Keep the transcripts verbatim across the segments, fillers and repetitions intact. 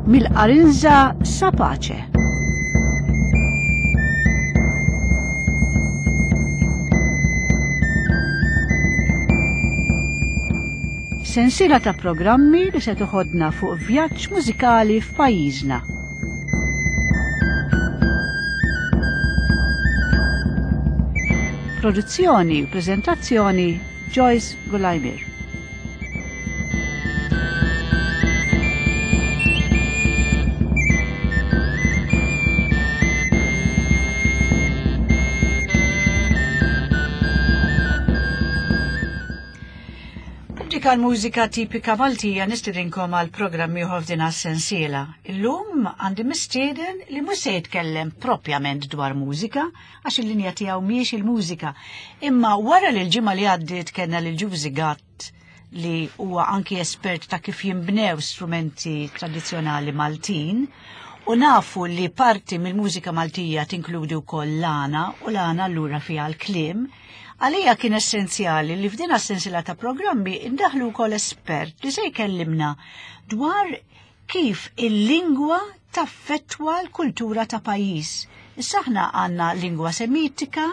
Mill-Qarinża sa Pace. Sensiela ta' programmi li se toħodna fuq vjaġġ mużikali f'pajjiżna. Produzzjoni u preżentazzjoni Joyce Gulajmir. Pubblika l-mużika tipika Maltija nistedinkom għal programm ieħor f'din sensiela. Illum għandi mistieden li mhux se jitkellem propjament dwar mużika, għax il-linja tiegħu mhijiex il-mużika. Imma wara li l-ġimgħa li għaddiet kellna lil Ġużi Gatt li huwa anki espert ta' kif jinbnew strumenti tradizzjonali Maltin, u nafu li parti mill-mużika Maltija tinkludi wkoll l-għana u l-għana allura fiha l-kliem. Għalija kien essenzjali li f'din sensiela ta' programmi indaħlu wkoll espert li se jkellimna dwar kif il-lingwa taffettwa l-kultura ta' pajjiż. Issa aħna għandna lingwa semitika,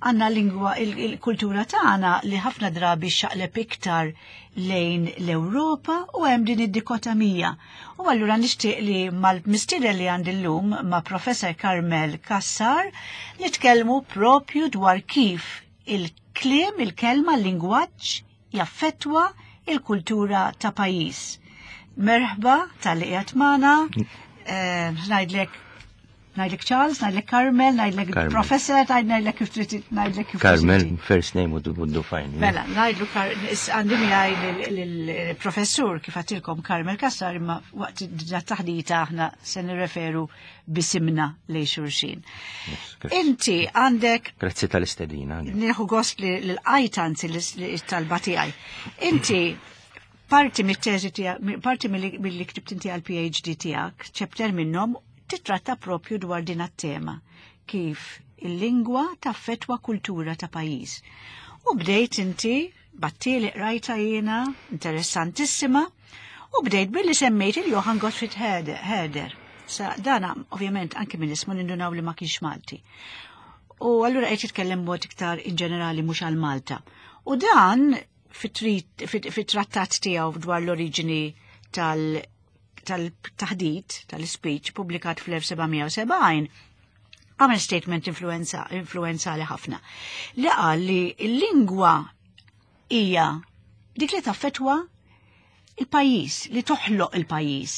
għandna lingwa il-kultura tagħna li ħafna drabi xaqleb iktar lejn l-Ewropa u hemm din id-dikotomija. U allura nixtieq li mal-mistieden li għandi llum ma' Professor Carmel Cassar nitkellmu propju dwar kif il-kliem, il-kelma, l-lingwaġġ jaffettwa il-kultura ta' pajjiż. Merħba talli qiegħed magħna, eh, ngħidlek ngħidlek Charles, ngħidlek Carmel, ngħidlek Carmel. Professor, ngħidlek kif trid ngħidlek kif Carmel, trid. first name would, would do fine. Mela, ngħidlu Kar- is- għandi miegħi lill-professur kif għedtilkom Carmel Cassar imma waqt taħdita aħna se nirreferu b'isimna lejn xulxin. Yes, grazzi. Inti għandek Grazzi tal-istedina. nieħu gost li l-qajt anzi l-talba tiegħi. Inti parti mit-teżi tiegħek, parti milli milli ktibt inti għal PhD tiegħek, chapter minnhom titratta propju dwar din it-tema kif il-lingwa taffetwa kultura ta' pajjiż. U bdejt inti battieli qrajta jiena, interessantissima, u bdejt billi semmejt il-Johann Gottfried Herder. Herder. Sa dana ovvjament anki minn ismu nindunaw li ma kienx Malti. U allura qed jitkellem mod iktar in ġenerali mhux għal Malta. U dan fit-trit- fit- fit-trattat tiegħu dwar l-oriġini tal- tal-taħdit, tal-speech, publikat fl-elf seba' mija u sebgħin, għamel statement influenza, influenzali ħafna. Li qal li l-lingwa hija dik li taffetwa il-pajjiż, li toħloq il-pajjiż.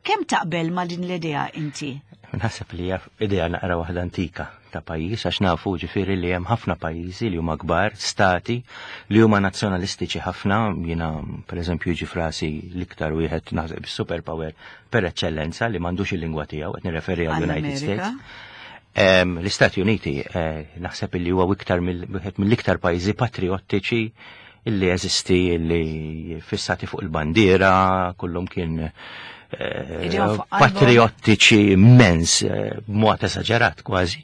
Kemm taqbel ma' din l-idea inti? Naħseb li hija idea naqra waħda antika ta' pajjiż għax nafu ġifieri li hemm ħafna pajjiżi li huma kbar, stati li huma nazzjonalistiċi ħafna, jiena pereżempju jiġi f'rasi l-iktar wieħed naħseb superpower per eċċellenza li m'għandux il-lingwa tiegħu, qed nirreferi għal United Għall-Amerika. States. Em, L-Istati Uniti eh, naħseb li huwa iktar mill- wieħed mill-iktar pajjiżi patriottiċi illi jeżisti illi fissati fuq il-bandiera, kullum kien eh, Idejhom fuq qalbhom. patriottiċi immens, eh, b'mod esaġerat kważi.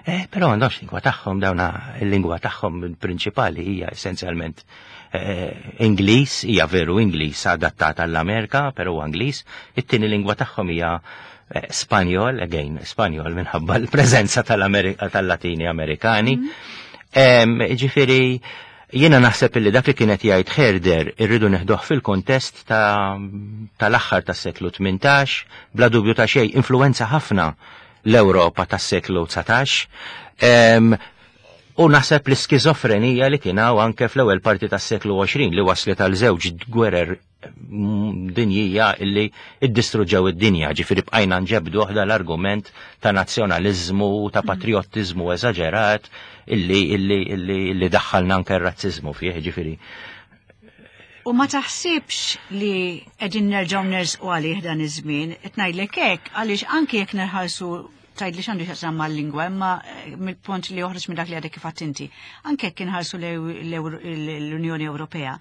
Eh, però għandhomx lingwa tagħhom dawna il-lingwa tagħhom prinċipali hija essenzjalment eh, Ingliż, hija veru Ingliż adattata għall-Amerika, però huwa Ingliż. It-tieni lingwa tagħhom hija eh, Spanjol, again, Spanjol minħabba l-preżenza tal-Amerika tal-Latini Amerikani. Em, Ġifieri, jiena naħseb illi dak li kienet jgħid Herder irridu neħduh fil-kontest ta' tal-aħħar tas-seklu tmintax, bla dubju ta' xejn influenza ħafna l-Ewropa tas-seklu dsatax. Em, U naħseb l-iskizofrenija li kien hawn anke fl-ewwel parti tas-seklu għoxrin li waslet għal żewġ gwerer mm, dinjija illi iddistruġġew id-dinja, ġifieri bqajna nġebdu waħda l-argument ta' nazzjonaliżmu, ta' patriottiżmu eżaġerat illi illi illi illi daħħalna anke r-razziżmu fih, ġifieri. U ma taħsibx li qegħdin nerġgħu nersqu għalih dan iż-żmien, qed ngħidlek hekk għaliex anke jekk nerħalsu tgħid li x'għandu x'jaqsam mal-lingwa, imma eh, mill-punt li joħroġ minn dak li għadek kif għedt inti. Anke jekk inħarsu l-Unjoni Ewropea,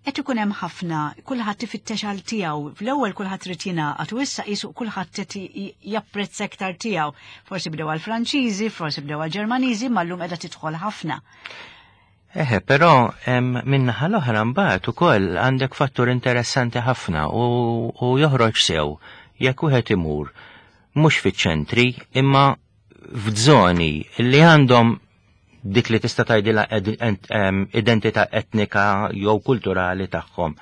qed ikun hemm ħafna, kulħadd ifittex għal tiegħu. Fl-ewwel kulħadd irid jingħaqad u issa qisu kulħadd qed japprezza iktar tiegħu. Forsi bdew għall-Franċiżi, forsi bdew għall-Ġermaniżi, ma llum qiegħda tidħol ħafna. Eħe, però min-naħa l-oħra mbagħad ukoll għandek fattur interessanti ħafna u, u joħroġ sew jekk wieħed imur mhux fiċ-ċentri imma f'żoni li għandhom dik li tista' tgħidilha identità etnika jew kulturali tagħhom,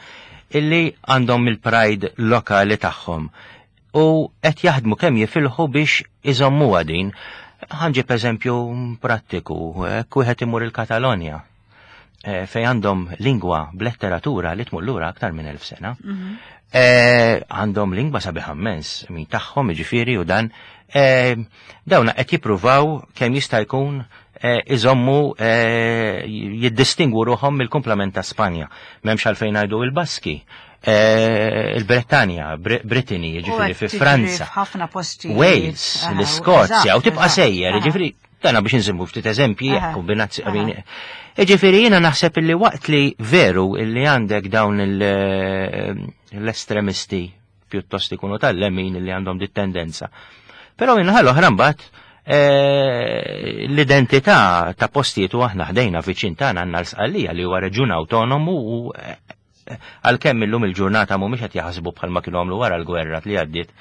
illi għandhom il-pride lokali tagħhom u qed jaħdmu kemm jifilħu biex iżommuha din. Ħa nġib eżempju prattiku, hekk wieħed imur il-Katalonja eh, fej għandhom lingwa b'letteratura li tmur lura aktar minn elf sena. Mhm. Eh, għandhom lingwa sabiħa immens, min tagħhom jiġifieri u dan eh, dawna qed jippruvaw kemm jista' jkun iżommu, jiddistingwu ruħhom mill-kumplament ta' Spanja. M'hemmx għalfejn ngħidu il-Baski, il-Bretanja, Brittany, ġifieri fi Franza. Ħafna posti. Wales, l-Iskozja, u tibqa' sejjer, ġifieri dana biex nżimmu ftit eżempji, kombinazzjoni. Ġifieri jiena naħseb illi waqt li veru illi għandek dawn l-estremisti pjuttost ikunu tal-lemin illi għandhom dit tendenza. Però min-naħa l-oħra mbagħad eh, l-identità ta' postijiet u aħna ħdejna viċin tagħna għandna l-Sqallija li huwa reġjun autonomu u eh, għalkemm illum il-ġurnata mhumiex qed jaħsbu bħalma kienu għamlu wara l-gwerra li għaddiet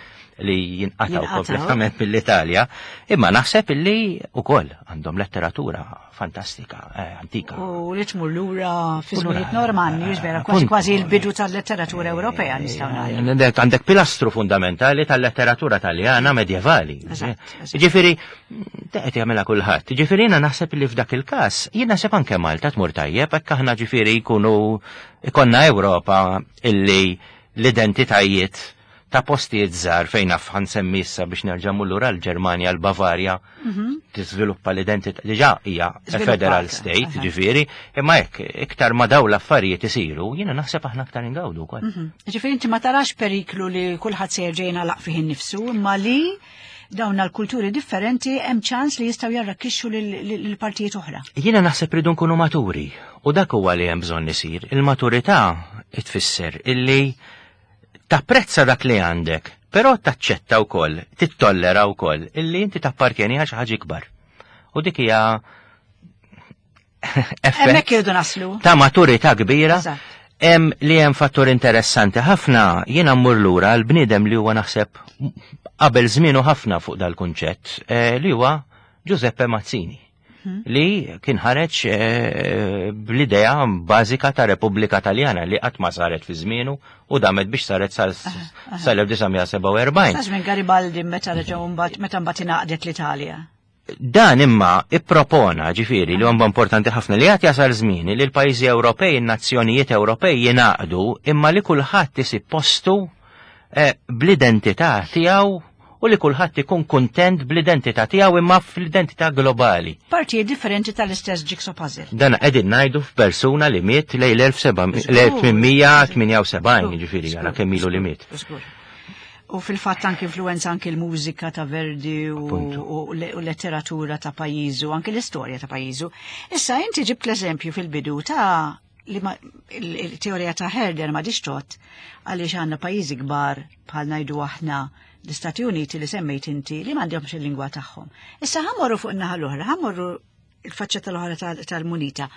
li jinqataw kompletament mill-Italja, imma naħseb illi ukoll għandhom letteratura fantastika, eh, antika. U li tmur lura fi żminijiet Normanni, vera, kważi kważi l-bidu tal-letteratura Ewropea nistgħu ngħidu. Għandek pilastru fundamentali tal-letteratura taljana medjevali. Ġifieri, qed jagħmilha kulħadd. Ġifieri jiena naħseb li f'dak il-każ, jien naħseb anke Malta tmur tajjeb hekk aħna ġifieri jkunu ikonna Ewropa illi l-identitajiet ta' postijiet żgħar fejn naf ħa nsemmi issa biex nerġa' lura l-Ġermanja, l-Bavarja, mhm. tiżviluppa l-identità diġà hija federal state, ġifieri, imma hekk iktar ma daw l-affarijiet isiru, jiena naħseb aħna aktar ingawdu wkoll. Mhm. Ġifieri inti ma tarax periklu li kulħadd se jerġa' jingħalaq fih innifsu, imma li dawn l-kulturi differenti hemm ċans li jistgħu jarrakkixxu lil partijiet oħra. Jiena naħseb ridu nkunu maturi u dak huwa li hemm bżonn isir. Il-maturità tfisser illi tapprezza dak li għandek, però taċċetta wkoll, tittollera wkoll illi inti tappartjeni għal xi ħaġa ikbar. U dik hija Hemmhekk irridu naslu. Ta' maturità kbira. Hemm li hemm fattur interessanti ħafna, jiena mmur lura l-bniedem li huwa naħseb qabel żmienu ħafna fuq dal-kunċett, eh, li huwa Giuseppe Mazzini, mhm. li kien ħareġ eh, bl-idea bażika ta' Repubblika Taljana li qatt ma saret fi żmienu u damet biex saret sal-elf disa' mija sebgħa u erbgħin. Sa żmien Garibaldi meta reġgħu mbagħad meta mbagħad ingħaqdet l-Italja. Dan imma ippropona, ġifieri li huwa importanti ħafna li għad jasal żmien li l-pajjiżi Ewropej, in-nazzjonijiet Ewropej jingħaqdu imma li kulħadd isib postu eh, bl-identità tiegħu u li kulħadd ikun kuntent bl-identità tiegħu imma fl-identità globali. Partijiet differenti tal-istess jigsaw puzzle. Dan qegħdin ngħidu f'persuna li miet lejn l-elf tmien mija tmienja u sebgħin, ġifieri għala kemm ilu li miet. U fil-fatt anki influenza anki l-mużika ta' Verdi u, u letteratura ta' pajjiżu, anki l-istorja ta' pajjiżu. Issa inti ġibt l-eżempju fil-bidu ta' li il-teorija ta' Herder ma dixtot għaliex għandna pajjiżi kbar bħal ngħidu aħna l-Istati Uniti li semmejt inti li m'għandhomx il-lingwa tagħhom. Issa ħa mmorru fuq in-naħa l-oħra, ħa mmorru il-faċċata l-oħra tal-munita.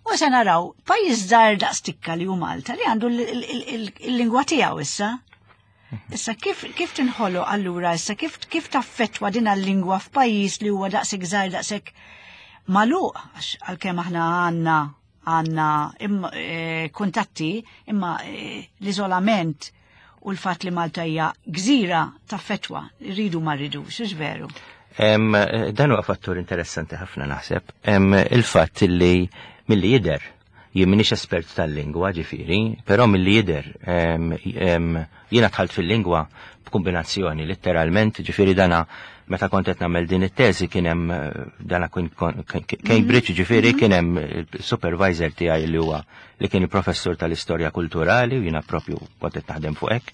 U se naraw pajjiż żgħir daqstikka li hu Malta li għandu il-lingwa tiegħu issa. Issa kif kif tinħolo allura issa kif kif taffettwa din l-lingwa f'pajjiż li huwa daqshekk żgħir, daqshekk magħluq, għax għalkemm aħna għandna għandna eh, kuntatti imma eh, l-iżolament u l-fatt li Malta hija gżira taffettwa, rridu ma rridux, hux veru? Dan huwa fattur interessanti ħafna naħseb. Il-fatt li milli jidher, jien m'iniex espert tal-lingwa ġifieri, però milli jidher, jiena dħalt fil-lingwa b'kombinazzjoni letteralment, ġifieri dana meta kont qed nagħmel din it-teżi kien hemm dana kien Cambridge, ġifieri mhm. kien hemm supervisor tiegħi li huwa li kien il-professur tal-istorja kulturali u jiena propju kont qed naħdem fuq hekk.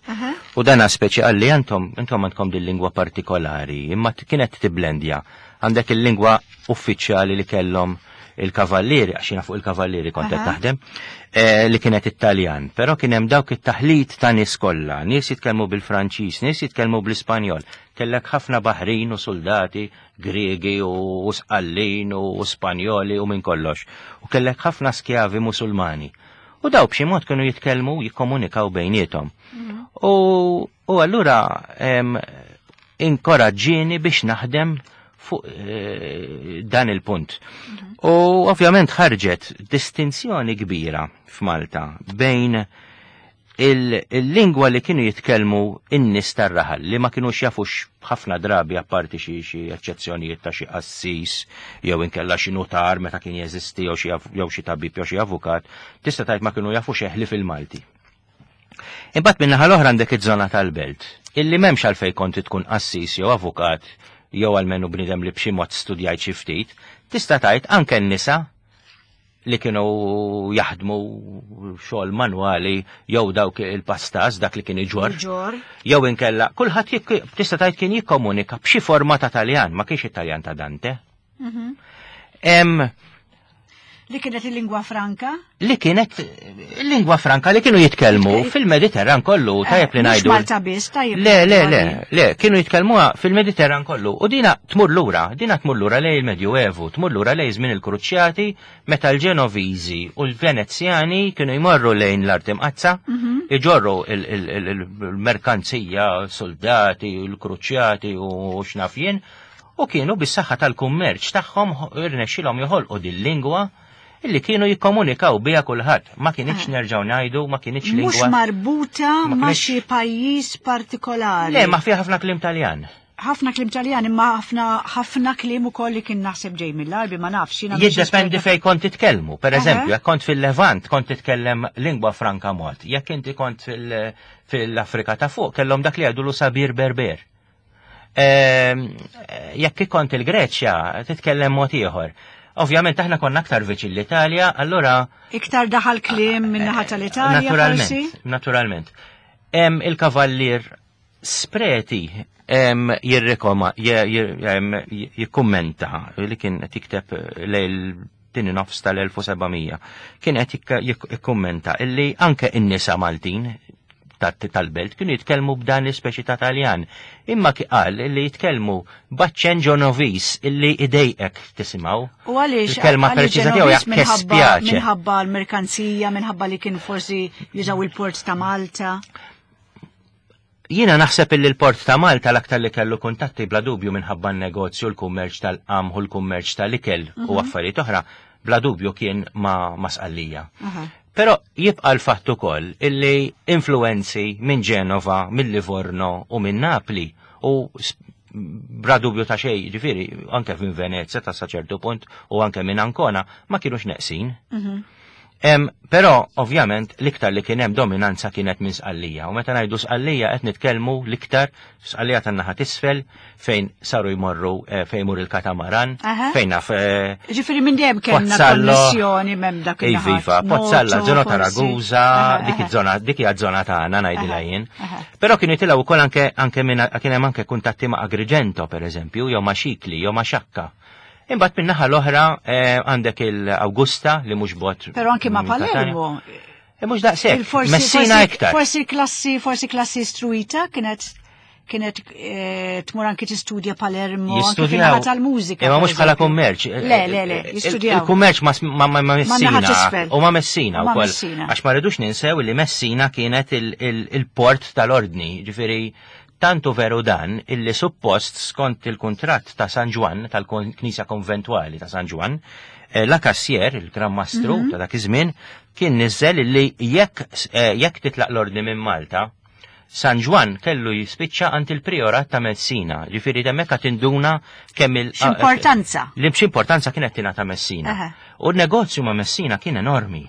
U dana speċi qalli, intom intom għandkom din lingwa partikolari, imma kienet tiblendja. Għandek il-lingwa uffiċjali li kellhom il-kavallieri, għax jiena fuq il-kavallieri kont qed naħdem, eh, li kienet Italjan, però kien hemm dawk it-taħlit ta' nies kollha, nies jitkellmu bil-Franċiż, nies jitkellmu bl-Ispanjol. Kellek ħafna baħrin u soldati Griegi u Sqallin u Spanjoli u minn kollox. U kellek ħafna skjavi Musulmani. U daw b'xi mod kienu jitkellmu, jikkomunikaw bejniethom. Mhm. U U allura em, inkoraġġieni biex naħdem fuq eh, dan il-punt. U ovvjament ħarġet distinzjoni kbira f'Malta bejn il- il-lingwa li kienu jitkellmu in-nies tar-raħal li ma kienux jafux ħafna drabi, apparti xi xi eċċezzjonijiet ta' xi qassis jew inkella xi notar meta kien jeżisti jew xi av- jew xi tabib jew xi avukat, tista' tgħid ma kienu jafu xejn ħlief il-Malti. Imbagħad min-naħa l-oħra għandek iż-żona tal-belt, illi m'hemmx għalfejn kont tkun qassis jew avukat jew almenu bniedem li b'xi mod studjajt xi ftit, tista' tgħid anke n-nisa li kienu jaħdmu xogħol manwali jew dawk il-pastas, dak li kien iġorr. Ġor. Jew inkella kulħadd jik- tista' tgħid kien jikkomunika b'xi forma ta' Taljan, ma kienx Italjan ta' Dante. Em, Li kienet il-lingwa franka? Li kienet lingwa franka li kienu jitkellmu fil-Mediterran kollu, tajjeb li Eh, mhux ngħidu. Malta biss, tajjeb. Le, le, le, ngħidu. Le, kienu jitkellmuha fil-Mediterran kollu. U dina tmur lura, dina tmur lura lejn il-Medjuevu, tmur lura lejn żmien il-Kruċjati, meta l-Ġenoviżi u l-Venezjani kienu jmorru lejn l-Art Imqazza, iġorru il- il- il- il-merkanzija, soldati, l-Kruċjati u x'naf jien, u kienu bis-saħħa tal-kummerċ tagħhom irnexxilhom joħolqu din-lingwa illi kienu jikkomunikaw biha kulħadd. Ma kienx, nerġgħu ngħidu, ma kienx Mhux lingwa. marbuta Ma ma kienx- xi pajjiż partikolari. Le, ma fiha ħafna kliem Taljan. Ħafna kliem Taljan, imma ħafna ħafna kliem ukoll li kien naħseb ġej mill-Arbi, ma nafx, jiena mhix Jiddependi esperta. fej kont titkellmu. Per Aha. eżempju, jekk kont fil-Levant, kont titkellem lingwa franka mod. Jekk inti kont fil- fil-Afrika ta' fuq, kellhom dak li jgħidulu Sabir Berber. Ehm, Jekk kont il-Greċja, titkellem mod ieħor. Ovvjament aħna konna aktar viċin l-Italja, allura Iktar daħal kliem minn naħa tal-Italja forsi? Naturalment, naturalment. Em, il-kavallier Spreti em, jirrikoma, je- je- em, jikkummenta li kien qed jikteb lejl tieni nofs tal-elf u seba' mija, kien qed jikka- jik- jikkummenta illi anke in-nisa Maltin ta- tal-belt kienu jitkellmu b'dan l-ispeċi ta' Taljan. Imma ki qal illi jitkellmu b'aċċent Ġenoviż illi idejqek tisimgħu. U għaliex Il-kelma għaliex preċiża tiegħu hija Ġenoviż? Minħabba "che spiace". minħabba l-merkanzija, minħabba li kien forsi jużaw il-port ta' Malta. Jiena naħseb illi l-port ta' Malta l-aktar li kellu kuntatti, bla dubju minħabba n-negozju, l-kummerċ tal-qamħ u l-kummerċ tal-ikel u affarijiet oħra, bla dubju kien ma, ma Sqallija. Aha. Però jibqa l-fatt ukoll illi influenzi minn Ġenova, minn Livorno u minn Napli u s- bla dubju ta' xej, ġifieri, anke minn Venezia ta' sa ċertu punt u anke minn Ancona ma kienux neqsin. Em, però, ovvjament, l-iktar li kien hemm dominanza kienet minn Sqallija. U meta ngħidu Sqallija qed nitkellmu l-iktar Sqallija tan-naħa t'isfel, fejn saru jmorru, eh, fejn jmur il-katamaran, Aha. fejn naf eh, Ġifieri minn dejjem kellna Pozzallo. konnessjoni m'hemm dak Ej, il-naħat. viva, Pozzalla, Noto, zona ta' forsi. Ragusa, Aha, dik aha. iż-żona, dik hija żona tagħna ngħidilha Aha, jien. aha. Però kienu jitilgħu wkoll anke anke minn kien hemm anke kuntatti ma' Agrigento, pereżempju, jew ma' Xikli, jew ma' Xakka. Imbagħad min-naħa l-oħra eh, għandek il-Augusta li mhux bogħod Però anke ma' minn Catania. Palermo. E mhux daqshekk. Il-forsi- Messina forsi- iktar. Forsi klassi, forsi klassi istruita kienet kienet eh, tmur anki tistudja Palermo, anke Jistudjaw. fin-naħa tal-mużika. Imma mhux per bħala eżempju. kummerċ. Le, le, le, Il- jistudjaw. Il-kummerċ ma ma ma ma Messina. naħa t'isfel. U ma Messina U ma wkoll. Messina. Għax ma rridux ninsew li Messina kienet il- il- il-port tal-ordni, ġifieri tantu veru dan illi suppost skont il-kuntratt ta' San Ġwann, tal-Knisja Konventwali ta' San Ġwann, eh, la Cassier, il-Gran Mastru Mhm. ta' dak iż-żmien, kien niżel illi jekk eh, jekk titlaq l-ordni minn Malta, San Ġwann kellu jispiċċa għand il-priorat ta' Messina, ġifieri hemmhekk tinduna kemm il- X'importanza. Li importanza kienet tingħata Messina. Aha. U n-negozju ma' Messina kien enormi.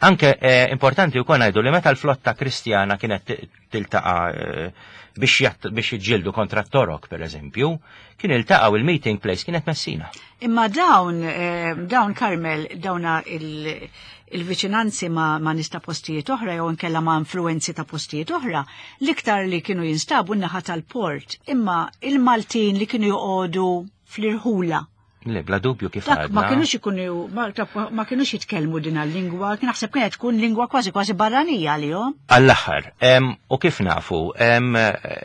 Anke eh, importanti wkoll ngħidu li meta l-flotta Kristjana kienet ti- tiltaqa' eh, biex jatt- biex jiġġieldu kontra t-Torok, per eżempju, kien iltaqgħu, il-meeting place kienet Messina. Imma dawn, eh, dawn Carmel, dawna il- il-viċinanzi ma, ma nista postijiet oħra jew inkella ma influenzi ta' postijiet oħra, l-iktar li kienu jinstabu n-naħa tal-port, imma il-Maltin li kienu joqogħdu fl-irħula. Le, bla dubju, kif Dak ma għadna. kienux ikunu, ma, ma kienux jitkellmu din il-lingwa, kien naħseb kienet tkun lingwa kważi kważi barranija għalihom. Għall-aħħar, em, u kif nafu, em,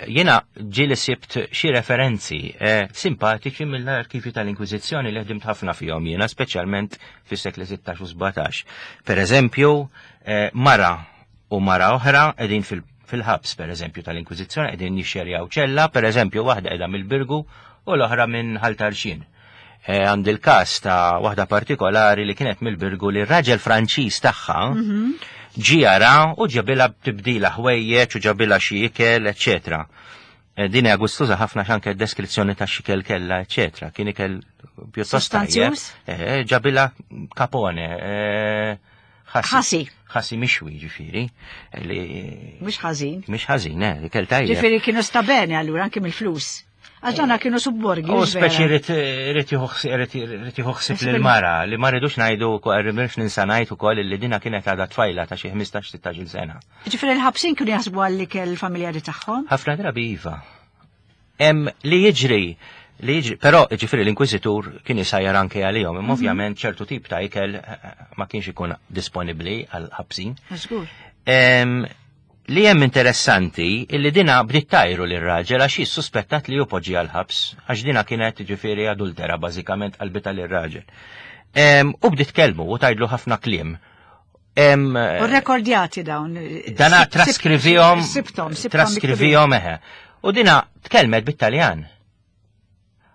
jiena ġieli sibt xi referenzi eh, simpatiċi mill-arkivi tal-Inkwiżizzjoni li ħdimt ħafna fihom jiena, speċjalment fis-sekli sittax u sbatax. Per eżempju, eh, mara u mara oħra qegħdin fil- fil-ħabs, per eżempju, tal-Inkwiżizzjoni, qegħdin jixxerjaw ċella, per eżempju, waħda qiegħda mill-Birgu u l-oħra minn Ħal Tarxien. Eh, Għand il-każ ta' waħda partikolari li kienet mill-Birgu li r-raġel Franċiż tagħha ġie jara u ġabilha tibdila ħwejjeġ u ġabilha xi ikel, eċċetera. Eh, Din hija gustuża ħafna anke deskrizzjoni ta' x'ikel kellha, eċċetera. Kien ikel pjuttost tajjeb. Sostanzjuż? Eh, ġabilha kapone, eh, ħasi. Ħasi. Ħasi mixwi ġifieri. Li Mhux ħażin. mhix ħażin, eh, ikel tajjeb. Ġifieri kienu stabene allura anke mill-flus. Għax dana kienu subborgi. U mhux vera? speċi rrit jieħu ħsieb lill-mara li ma rridux ngħidu rridux ninsa ngħid ukoll li dina kienet għadha tfajla ta' xi ħmistax sittax-il sena. Ġifieri l-ħabsin kienu jaħsbu għall-ikel familjari tagħhom. Ħafna drabi iva. Hemm li jiġri li jiġri, però ġifieri l-inkwiżitur kien isajjar anke għalihom, imma ovvjament ċertu tip ta' ikel eh, ma kienx ikun disponibbli għal ħabsin. Żgur. Em, li hemm interessanti illi dina bdiet tajru lir raġel għax suspettat li hu poġġi għal-ħabs, għax dina kienet ġifieri adultera bażikament qalbita lir-raġel. Em, U bdiet kelmu u tajdlu ħafna kliem. Em, U rekordjati dawn. Dana Sib- traskrivihom, Sibtom, sibtom. traskrivihom eħe. U dina tkellmet bit-Taljan.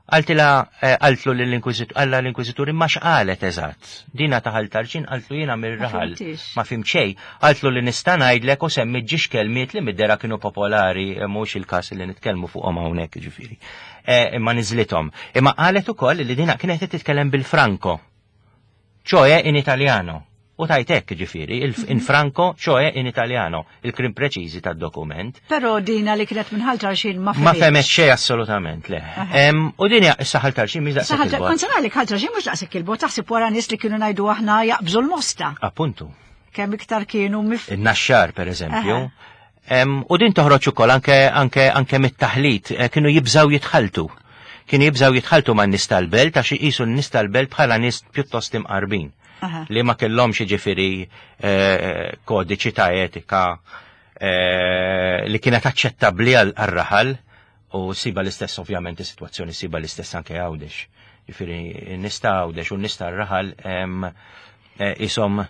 Qaltilha, eh, qaltlu l-inkwizitur, għalla l-inkwizitur imma x'qalet eżatt. Dina ta' Ħal Tarxien qaltlu jiena mir-raħal. fhimtix. Ma fhimt xejn. Qaltlu li nista' ngħidlek u semmi ġiex kelmiet li mid-dera kienu popolari, eh, mhux il-każ li nitkellmu fuqhom hawnhekk ġifieri. Eh, Imma niżlithom. Imma qalet ukoll li dina kienet qed titkellem bil-Franco. Cioè in italiano. U tajtek ġifieri, il- in franco, cioè in italiano, il-kliem preċiżi tad-dokument. Però dina li kienet minn Ħal Tarxien ma Ma fehmitx. femet xej assolutament, le. Em, U din hija issa Ħal Tarxien mhix daqshekk Saħal il-bogħod. kont se ngħidlek Ħal Tarxien mhux daqshekk il-bogħod, taħseb wara nies li kienu ngħidu aħna jaqbżu l-mosta. Appuntu. Kemm iktar kienu mif. Il-Naxxar, per eżempju. Aha. Em, U din toħroġ ukoll anke anke anke mit-taħlit, eh, kienu jibżaw jitħaltu. Kienu jibżaw jitħaltu ma' nies tal-belt għax iqisu n-nies tal-belt bħala nies pjuttost imqarbin. Aha. Li ma kellhomx jiġifieri eh, kodiċi ta' etika eh, li kienet aċċettabbli għal raħal u siba l-istess ovvjament is-sitwazzjoni siba l-istess anke Għawdex. Jiġifieri n-nies ta' Għawdex u n-nies tar-raħal em, eh, isom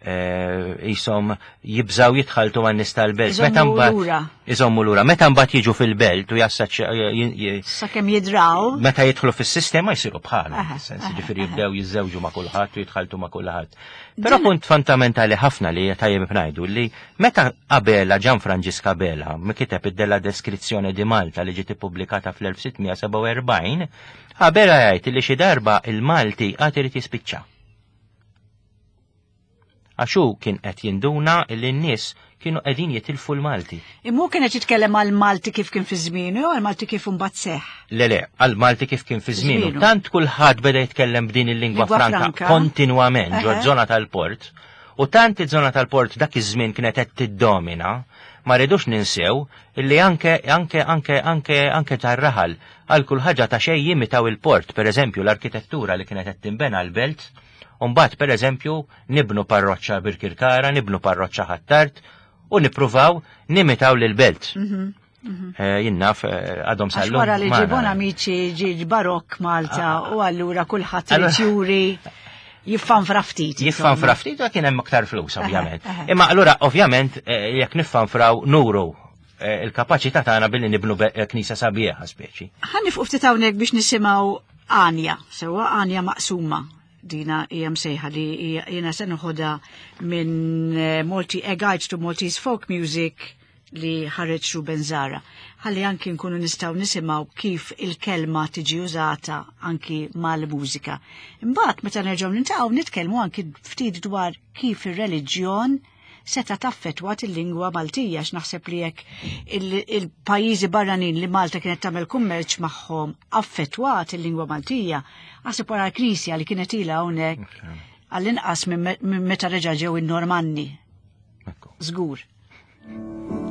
eh, isom jibżaw jitħaltu man nies tal-belt. Iżommu Meta mbagħad- lura. Iżommu lura. Meta mbagħad jiġu fil-belt u jassaċ Sakemm jidraw. meta jidħlu fis-sistema jsiru bħalhom, Aha, sens aha, ġifieri aha. jibdew jiżżewġu ma' kulħadd u jitħaltu ma' kulħadd. Però punt fondamentali ħafna li tajjeb ngħidu li meta Abela, Gian Franġisk Abela, mi kiteb id-Della Deskrizzjoni di Malta li ġiet ippubblikata fl-elf sitt mija sebgħa u erbgħin, Abela jgħid li xi darba il-Malti għad irid jispiċċa. Għax hu kien qed jinduna li n-nies kienu qegħdin jitilfu l-Malti. Imma hu kienet jitkellem għal Malti kif kien fi żmienu jew għal Malti kif imbagħad seħħ. Le le, għal Malti kif kien fi żmienu. Żmienu. Tant kulħadd beda jitkellem b'din il-lingwa Lingwa franka franka. kontinwament ġo Eħe. żona tal-port. U tant iż-żona tal-port dak iż-żmien kienet qed tiddomina, ma rridux ninsew illi anke anke anke anke anke tar-raħal għal kull ħaġa ta' xejn jimitaw il-port, per eżempju l-arkitettura li kienet qed tinbena l-belt, u mbagħad per eżempju nibnu parroċċa Birkirkara, nibnu parroċċa Ħ'Attard u nippruvaw nimitaw lil-belt. Eh, Jien naf eh, għadhom Għax sal-lum. wara li magħna. ġie Bonamici ġie barokk Malta u allura kulħadd Allora- irid juri jiffanfra ftit. Jiffanfra ftit u kien hemm aktar flus, ovvjament. Aha, aha. Imma allura ovvjament eh, jekk niffanfraw nuru eh, il-kapaċità tagħna billi nibnu be- eh, knisja sabiħa speċi. Ħa nieqfu ftit hawnhekk biex nisimgħu Għanja, sewwa Għanja maqsuma. Dina hija msejħa li hija- jiena se noħodha minn eh, Malti A Guide to Maltese Folk Music li ħareġ Ruben Zahra. Ħalli anki nkunu nistgħu nisimgħu kif il-kelma tiġi użata anki mal-mużika. Imbagħad meta nerġgħu niltaqgħu nitkellmu anki ftit dwar kif ir-reliġjon seta taffetwat il-lingwa Maltija, x'naħseb li jekk il-pajjiżi barranin li Malta kienet tagħmel kummerċ magħhom affettwat il-lingwa Maltija, għasib wara l-Knisja li kienet ilha hawnhekk għall-inqas minn meta reġa' ġew in-Normanni. Ekku. Żgur. Thank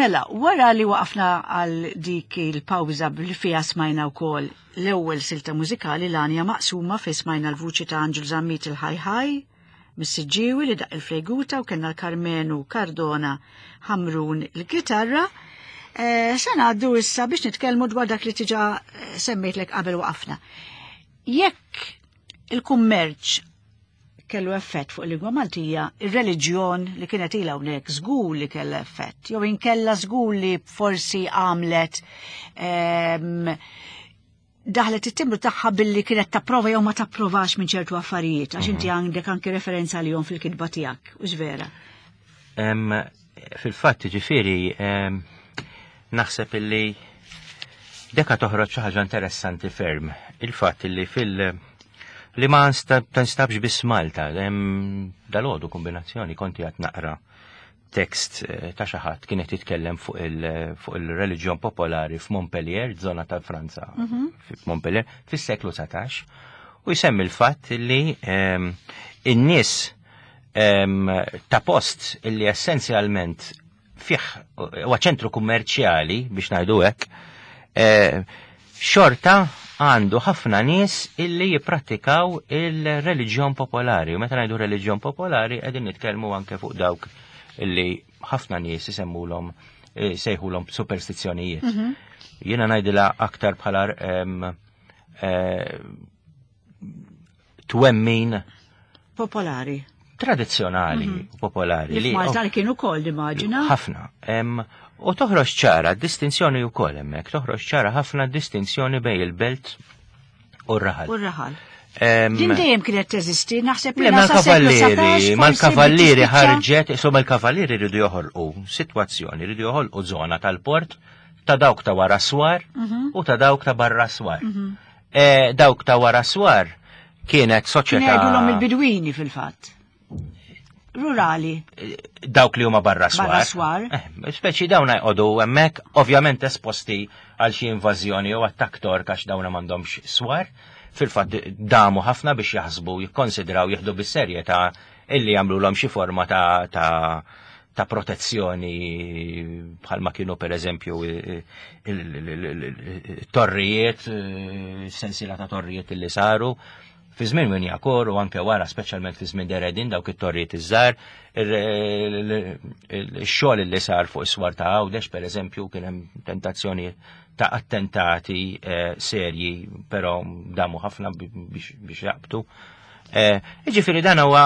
Mela, wara li waqafna għal dik il-pawża li fiha smajna wkoll l-ewwel silta mużikali l-għanja maqsuma fi smajna l-vuċi ta' Anġel Zammit il-Ħajħaj, mis-Siġġiewi li daqq il-fleguta u kellna l-Karmenu Cardona Ħamrun il-kitarra. Eh, Se ngħaddu issa biex nitkellmu dwar dak li diġà eh, semmejtlek qabel waqafna. Jekk il-kummerċ kellu effett fuq il-lingwa Maltija, ir-reliġjon li kienet ilha hawnhekk żgur li kellha effett, jew inkella żgur li forsi għamlet em, daħlet it-timbru tagħha billi kienet tapprova jew ma tapprovax minn ċertu affarijiet, għax inti għandek anki referenza għalihom fil-kitba tiegħek, u vera. Em, Fil-fatt, ġifieri, em, naħseb illi deka toħroġ xi ħaġa interessanti ferm. Il-fatt illi fil- li ma nsta- tinstabx biss Malta, hemm dalgħodu kombinazzjoni konti qed naqra tekst eh, ta' xi ħadd kien qed jitkellem fuq il- fuq il-reliġjon popolari f'Montpellier, żona ta' Franza, f'Montpellier, fis-seklu dsatax, u jsemmi l-fatt li em, in-nies em, ta' post illi essenzjalment fih huwa ċentru kummerċjali biex ngħidu hekk, eh, xorta għandu ħafna nies illi jipprattikaw il-reliġjon popolari. U meta ngħidu reliġjon popolari qegħdin nitkellmu anke fuq dawk illi ħafna nies isemmulhom eh, sejħulhom superstizzjonijiet. Jiena ngħidilha aktar bħala em, eh, twemmin Popolari. tradizzjonali u popolari. Li f'Malta kienu wkoll immaġina. Ħafna. Em, U toħroġ ċara distinzjoni wkoll hemmhekk, toħroġ ċara ħafna distinzjoni bejn il-belt u r-raħal. U r-raħal. Em, Din dejjem kienet teżisti, naħseb Le, li sa seklu mal-kavallieri, satax, mal-kavallieri forsi tispiċċa- ħarġet, insomma il-kavallieri rridu joħolqu sitwazzjoni, rridu joħolqu zona tal-port ta' dawk ta' wara swar Mhm. u ta' dawk ta' barra swar. Eh, Dawk ta' wara swar kienet Kien soċjetà jgħidulhom il-bidwini fil-fatt. Rurali. Dawk li huma barra swar. Barra swar. Eh, speċi dawn jqogħdu hemmhekk ovvjament esposti għal xi invażjoni jew attakk Tork għax dawn m'għandhomx swar. Fil-fatt damu ħafna biex jaħsbu, jikkonsidraw jieħdu bis-serjetà illi jagħmluhom xi forma ta' ta' ta' protezzjoni bħalma kienu per eżempju il-torrijiet, sensiela ta' torrijiet illi saru fi żmien Wignacourt u anke wara, speċjalment fi żmien De Redin, dawk it-torrijiet iż-żgħar, il-xogħol li sar fuq is-swar ta' Għawdex per eżempju kien hemm tentazzjoni ta' attentati eh, serji, però damu ħafna biex biex jaqbtu. Eh, Ġifieri dan huwa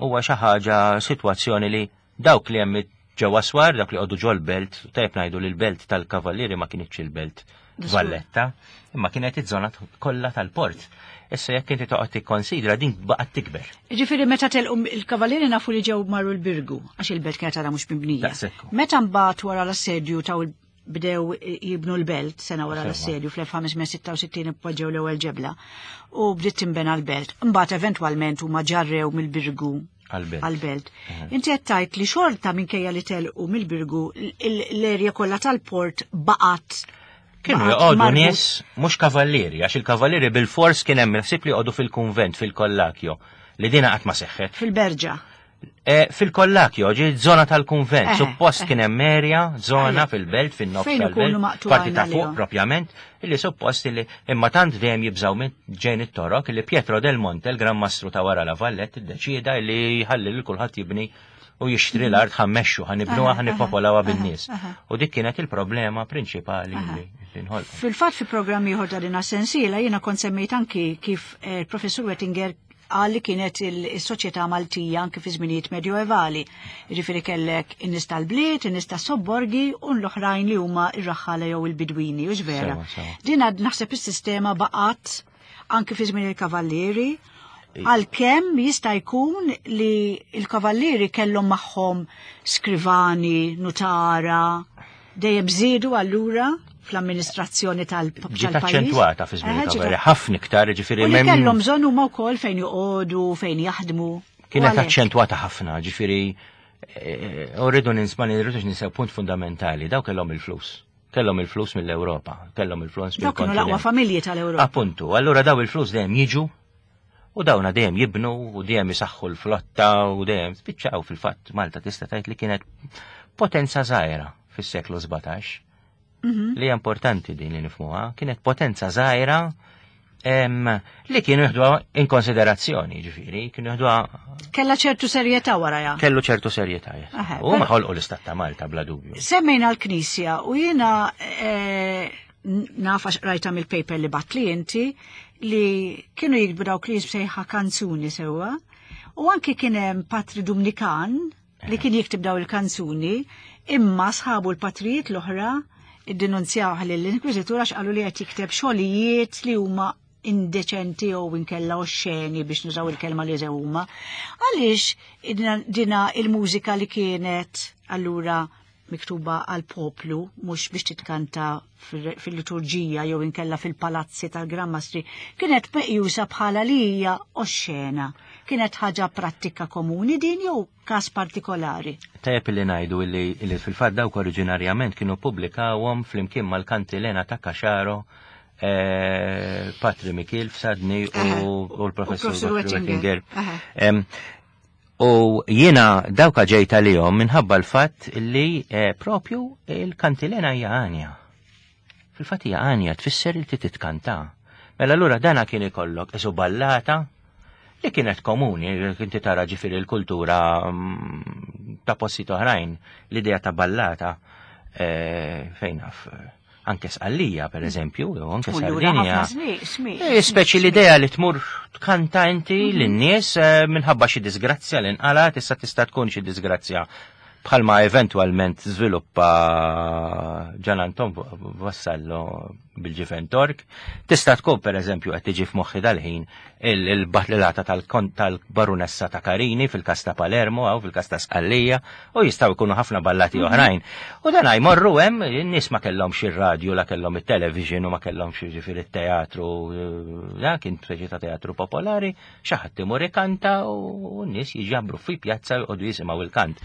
huwa xi ħaġa, sitwazzjoni li dawk li hemm ġewwa swar, dawk li qogħdu ġol-belt, tajjeb ngħidu li l-belt tal-Kavallieri ma kienitx il-belt Valletta, imma kienet iż-żona kollha tal-port. Issa jekk inti toqgħod tikkonsidra, din baqgħet tikber. Ġifieri meta telqu il-kavallieri nafu li ġew marru l-Birgu, għax il-belt kienet għadha mhux mibnija. Daqshekk. Meta mbagħad wara l-assedju taw il- bdew jibnu l-belt, sena wara Sewa. l-assedju fl-elf ħames mija u sitta u sittin poġġew l-ewwel ġebla u bdiet tinbena l-belt. Mbagħad eventwalment huma ġarrew mill-Birgu għal-belt. Għal-belt. Inti qed tgħid li xorta minkejja li telqu mill-Birgu l-erja kollha tal-port baqgħet Kienu baqgħet joqogħdu marbut- nies mhux kavallieri, għax il-kavallieri bil-fors kien hemm ħsieb li joqogħdu fil-kunvent, fil-Kollakjo, li dina qatt ma seħħet. Fil-Berġa. E, fil-Kollakjo, ġi zona tal-kunvent, Eh, suppost eh. kien hemm erja, zona Eh. fil-belt, fin-nofs Fejn ikunu tal-belt, maqtugħin parti ta' fuq għalihom. propjament, illi suppost illi imma tant dejjem jibżaw minn ġejn it-Torok illi Pietro del Monte, il-Gran Mastru ta' wara La Vallette, iddeċieda illi jħalli lil kulħadd jibni u jixtri l-art, ħa mmexxu, ħa nibnuha, Aha, ħa nippopolawha aha, bin-nies. aha. U dik kienet il-problema prinċipali li li nħolqu. Fil-fatt fi programm ieħor ta' din sensiela jiena kont semmejt anki kif eh, il-professur Wettinger qal li kienet il-soċjetà Maltija anki fi żminijiet medjoevali. Jiġifieri kellek in-nies tal-bliet, in-nies tas-sobborgi u l-oħrajn li huma ir-raħħala jew il-bidwini, u vera. Sewa, sewa. Din għad naħseb is-sistema baqgħet anki fi żmien il-kavallieri, għalkemm jista' jkun li il-kavallieri kellhom magħhom skrivani, nutara, dejjem żiedu allura fl-amministrazzjoni tal- Ġiet tal-pajjiż. aċċentwata fi żmien Eh, ġiet il-kavallieri, ħafna iktar, ġifieri U li mem- kellhom bżonn huma wkoll fejn joqogħdu, fejn jaħdmu. U Kienet għalhekk. aċċentwata ħafna, ġifieri eh, u rridu ninsma rridux ninsew punt fundamentali, daw kellhom il-flus. Kellhom il-flus mill-Ewropa, kellhom il-flus Dawk kienu l-aqwa mill-kontinent. familji tal-Ewropa. Appuntu, allura daw il-flus dejjem jiġu u dawna dejjem jibnu u dejjem isaħħu l-flotta u dejjem spiċċaw. Fil-fatt Malta tista' tgħid li kienet potenza żgħira fis-seklu sbatax. Li hija importanti din li nifhmuha, kienet potenza żgħira li kienu jieħduha in konsiderazzjoni, ġifieri, kienu jieħduha Kella ċertu serjetà warajha. Kellu ċertu serjetà. U ma ħolqu l-Istat ta' Malta bla dubju. Semmejna l-Knisja u jiena naf għax rajta mill-paper li batli inti li kienu jiktbu dawk li jisbsejħa kanzuni sewwa. U anki kien hemm Patri Dumnikan li kien jiktib daw il-kanzuni, imma sħabu l-patrijiet l-oħra iddenunzjaw lill-Inkwiżitur għax qalu li qed jikteb xogħlijiet li huma indeċenti jew inkella oxxeni biex nużaw il-kelma li huma. Għaliex dina il-mużika li kienet allura miktuba għal poplu mhux biex titkanta fil-liturġija jew inkella fil-palazzi tal-Gran Mastri, kienet meqjusa bħala li hija oxxena. Kienet ħaġa prattika komuni din jew każ partikolari? Tajjeb li ngħidu li, li fil-fatt dawk oriġinarjament kienu pubblikawhom flimkien mal-Kantilena ta' Caxaro, eh, Patri Mikil Fsadni u, u l-professur Wettinger. U jiena dawka ġejta lihom minħabba l-fatt li eh, propju il-kantilena hija għanja. Fil-fatt hija għanja tfisser li titkanta. Mela allura dana kien ikollok isu ballata li kienet komuni, kinti tara ġifieri l-kultura ta' postijiet oħrajn, l-idea ta' ballata eh, fejn naf anke Sqallija, per eżempju, jew anke Sardinja. Speċi l-idea li tmur tkanta inti lin-nies minħabba xi disgrazzja li nqalat, issa tista' tkun xi disgrazzja bħalma eventwalment żviluppa Gian Anton Vassallo bil-ġifen Tork. Tista' tkun per eżempju qed tiġi f'moħħi dal-ħin il-battilata tal-Barunessa ta' Carini fil-kas ta' Palermo jew fil-kas ta' Sqallija, u jistgħu jkunu ħafna ballati oħrajn. U dan jmorru hemm, in-nies ma kellhomx ir-radju, la kellhom it-television u ma kellhomx jiġifieri it-teatru, da kien speċi ta' teatru popolari, xi ħadd imur ikanta u n-nies jiġabru fi pjazza u jqogħdu jisimgħu il-kant.